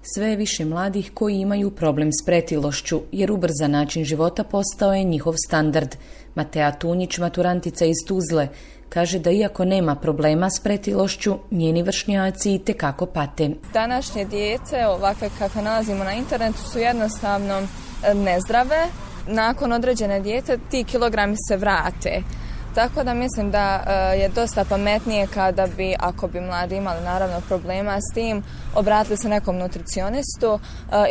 Sve je više mladih koji imaju problem s pretilošću, jer ubrzan način života postao je njihov standard. Matea Tunjić, maturantica iz Tuzle, kaže da iako nema problema s pretilošću, njeni vršnjaci itekako pate. Današnje djece, ovakve kakve nalazimo na internetu, su jednostavno nezdrave. Nakon određene dijete ti kilogrami se vrate. Tako da mislim da je dosta pametnije kada bi, ako bi mladi imali naravno problema s tim, obratili se nekom nutricionistu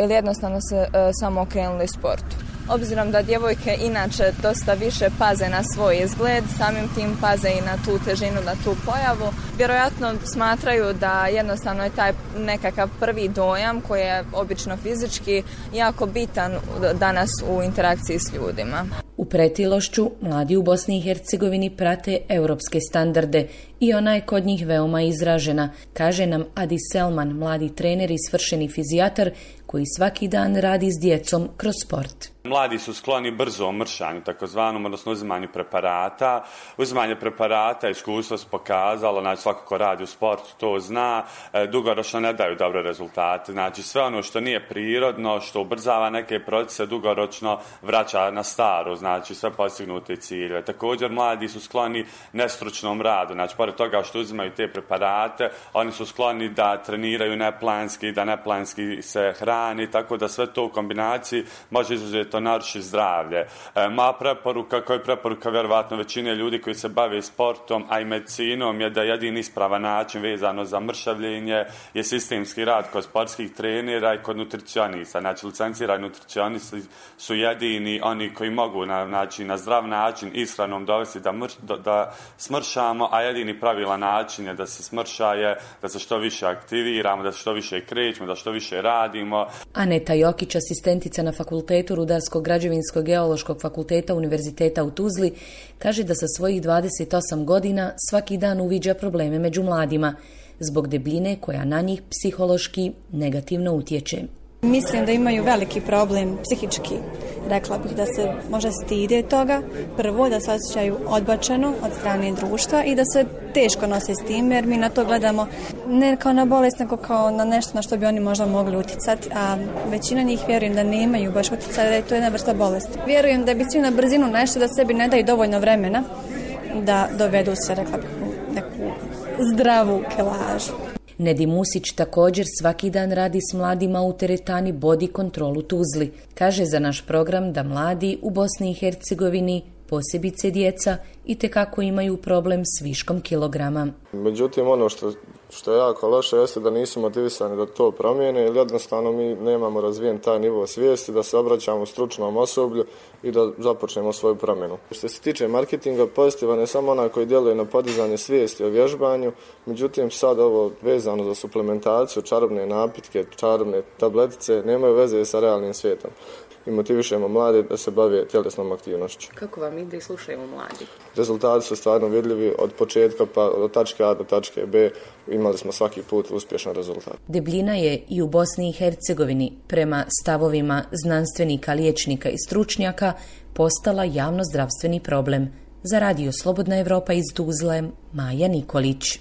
ili jednostavno se samo okrenuli sportu. Obzirom da djevojke inače dosta više paze na svoj izgled, samim tim paze i na tu težinu, na tu pojavu, vjerojatno smatraju da jednostavno je taj nekakav prvi dojam koji je obično fizički jako bitan danas u interakciji s ljudima. U pretilošću mladi u Bosni i Hercegovini prate europske standarde i ona je kod njih veoma izražena, kaže nam Adi Selman, mladi trener i svršeni fizijatar koji svaki dan radi s djecom kroz sport. Mladi su skloni brzom mršanju, takozvanom, odnosno uzimanju preparata. Uzimanje preparata, iskustvo se pokazalo, znači svako ko radi u sportu to zna, dugoročno ne daju dobre rezultate. Znači sve ono što nije prirodno, što ubrzava neke procese, dugoročno vraća na staro, znači sve postignute ciljeve. Također mladi su skloni nestručnom radu, znači pored toga što uzimaju te preparate, oni su skloni da treniraju neplanski, da neplanski se hrani, tako da sve to u kombinaciji može izuzeti to naruši zdravlje. Moja preporuka, kao i preporuka vjerovatno većine ljudi koji se bave sportom, a i medicinom, je da jedini ispravan način vezano za mršavljenje je sistemski rad kod sportskih trenera i kod nutricionista. Znači, licencirani nutricionisti su jedini oni koji mogu na zdrav način ishranom dovesti da smršamo, a jedini pravilan način je da se smrša je da se što više aktiviramo, da se što više krećemo, da što više radimo. Aneta Jokić, asistentica na Fakultetu Rudarsko-građevinskog geološkog fakulteta Univerziteta u Tuzli, kaže da sa svojih 28 godina svaki dan uviđa probleme među mladima zbog debljine koja na njih psihološki negativno utječe. Mislim da imaju veliki problem psihički. Rekla bih da se možda stide toga. Prvo, da se osjećaju odbačeno od strane društva i da se teško nose s tim, jer mi na to gledamo ne kao na bolest, nego kao na nešto na što bi oni možda mogli uticati, a većina njih vjerujem da nemaju baš utjecaja, da je to jedna vrsta bolesti. Vjerujem da bi svi na brzinu nešto da sebi ne daju dovoljno vremena da dovedu se, rekla bih, neku zdravu kilažu. Nedi Musić također svaki dan radi s mladima u teretani Body Control u Tuzli. Kaže za naš program da mladi u Bosni i Hercegovini, posebice djeca, itekako imaju problem s viškom kilograma. Međutim, ono što je jako loše jeste da nisu motivisani da to promijene, jer jednostavno mi nemamo razvijen taj nivo svijesti da se obraćamo stručnom osoblju i da započnemo svoju promjenu. Što se tiče marketinga, pozitivan je samo onaj koji djeluje na podizanje svijesti o vježbanju, međutim sad ovo vezano za suplementaciju, čarobne napitke, čarobne tabletice nemaju veze sa realnim svijetom. I motivišemo mlade da se bave tjelesnom aktivnošću. Kako vam ide i slušaju mladi? Rezultati su stvarno vidljivi od početka pa od tačke A do tačke B. Imali smo svaki put uspješan rezultat. Debljina je i u Bosni i Hercegovini, prema stavovima znanstvenika, liječnika i stručnjaka, postala javnozdravstveni problem. Za Radio Slobodna Evropa iz Tuzle, Maja Nikolić.